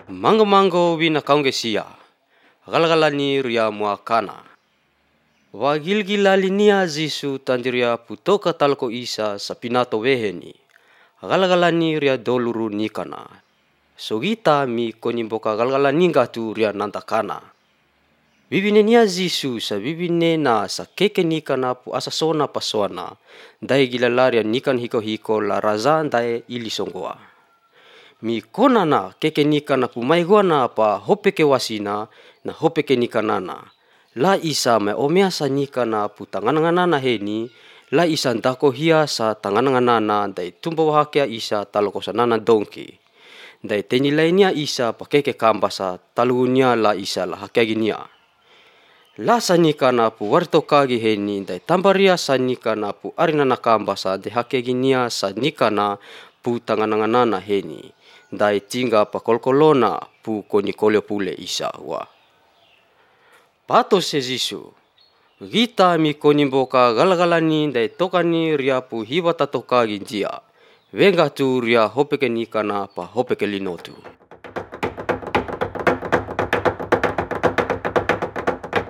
Mango wina kaungesia, galgalani ria muakana. Wagilgilali nia zisu tandiria putoka talko isa sa pinato weheni. Galgalani ria doluru nikana. Sogita mi konimboka galgalaninga tu ria nantakana. Bibine nia zisu sa bibine na sa keke nikana pu asasona pasona. Dai gilalaria nikan hiko la raza dai ilisonggoa. Mi kona na keke nikana pu maiguana pa hopeke wasina na hopeke nikanana. La isa me omea sa nikana pu tangananganana heni. La isa ndako hia sa tangananganana dai tumbo wahakea isa talokosanana donki. Dai tenilainia isa pa keke kambasa talunia la isa la hakeginia. La sa nikana pu wartokagi heni dai tambaria sa nikana pu arinana kambasa de hakeginia sa nikana pu tangananganana heni. Dai tingga pa kolkolona pu konikolio pule isa wa. Pato se Zisu. Gita mi konimboka galgalani dai tokani ria pu hiwata tokagi jia. Venga tu ria hopeke nikana pa hopeke linotu.